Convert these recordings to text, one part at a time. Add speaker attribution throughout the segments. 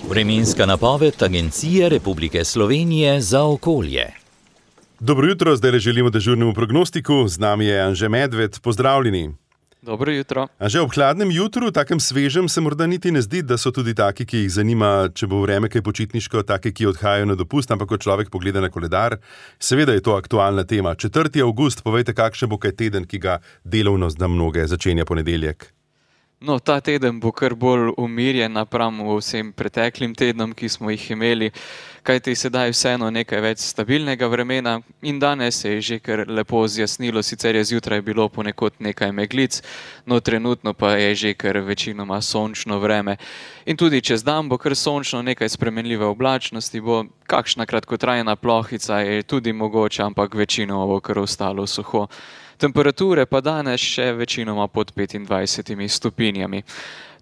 Speaker 1: Vremenska napoved Agencije Republike Slovenije za okolje.
Speaker 2: Dobro jutro, zdaj želimo dežurnemu prognostiku. Z nami je Anže Medved. Pozdravljeni.
Speaker 3: Dobro jutro.
Speaker 2: Anže, ob hladnem jutru, takem svežem, se morda niti ne zdi, da so tudi taki, ki jih zanima, če bo vreme kaj počitniško, taki, ki odhajajo na dopust, ampak ko človek pogleda na koledar, seveda je to aktualna tema. 4. avgust, povejte, kakšen bo kaj teden, ki ga delovno za mnoge začenja ponedeljek.
Speaker 3: No, ta teden bo kar bolj umirjen napram vsem preteklim tednom, ki smo jih imeli, kajti sedaj vseeno nekaj več stabilnega vremena in danes se je že kar lepo zjasnilo, sicer je zjutraj bilo ponekod nekaj meglic, no trenutno pa je že kar večinoma sončno vreme. In tudi čez dan bo kar sončno, nekaj spremenljive oblačnosti, bo kakšna kratkotrajna plohica je tudi mogoča, ampak večinoma bo kar ostalo suho. Temperature pa danes še večinoma pod 25 stopinjami.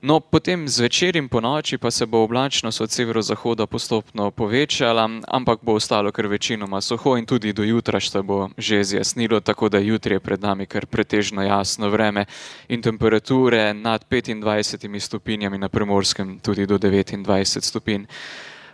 Speaker 3: No, potem zvečer in ponoči pa se bo oblačnost od severozahoda postopno povečala, ampak bo ostalo kar večinoma suho in tudi do jutra se bo že zjasnilo, tako da jutri je pred nami kar pretežno jasno vreme in temperature nad 25 stopinjami, na Primorskem tudi do 29 stopinj.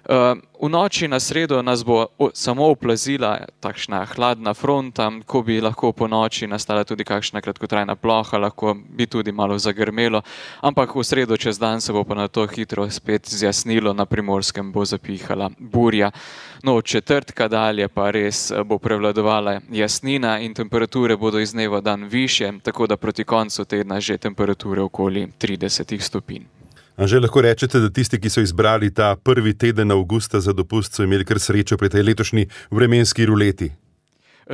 Speaker 3: V noči na sredo nas bo samo oplazila takšna hladna fronta, ko bi lahko po noči nastala tudi kakšna kratkotrajna ploha, lahko bi tudi malo zagrmelo, ampak v sredo čez dan se bo pa na to hitro spet zjasnilo, na Primorskem bo zapihala burja. No, od četrtka dalje pa res bo prevladovala jasnina in temperature bodo iz dneva v dan višje, tako da proti koncu tedna že temperature okoli 30 stopinj.
Speaker 2: Anže, lahko rečete, da tisti, ki so izbrali ta prvi teden avgusta za dopust, so imeli kar srečo pri tej letošnji vremenski ruleti?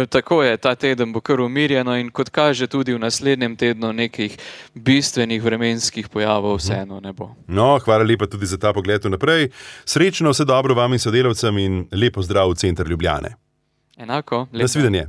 Speaker 3: Tako je, ta teden bo kar umirjeno in kot kaže tudi v naslednjem tednu nekih bistvenih vremenskih pojavov vseeno ne bo.
Speaker 2: No, hvala lepa tudi za ta pogled vnaprej. Srečno, vse dobro vam in sodelavcem in lepo zdrav v center Ljubljane.
Speaker 3: Enako.
Speaker 2: Nasvidenje.